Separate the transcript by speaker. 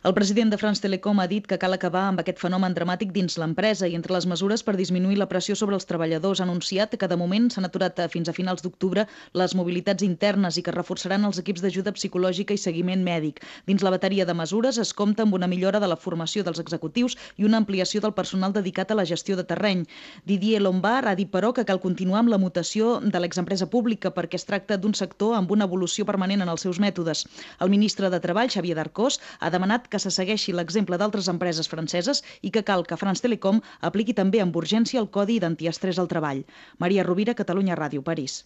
Speaker 1: El president de France Telecom ha dit que cal acabar amb aquest fenomen dramàtic dins l'empresa i entre les mesures per disminuir la pressió sobre els treballadors ha anunciat que de moment s'han aturat fins a finals d'octubre les mobilitats internes i que reforçaran els equips d'ajuda psicològica i seguiment mèdic. Dins la bateria de mesures es compta amb una millora de la formació dels executius i una ampliació del personal dedicat a la gestió de terreny. Didier Lombard ha dit, però, que cal continuar amb la mutació de l'exempresa pública perquè es tracta d'un sector amb una evolució permanent en els seus mètodes. El ministre de Treball, Xavier Darcós, ha demanat que se segueixi l'exemple d'altres empreses franceses i que cal que France Telecom apliqui també amb urgència el Codi d'Antiestrès al treball. Maria Rovira, Catalunya Ràdio, París.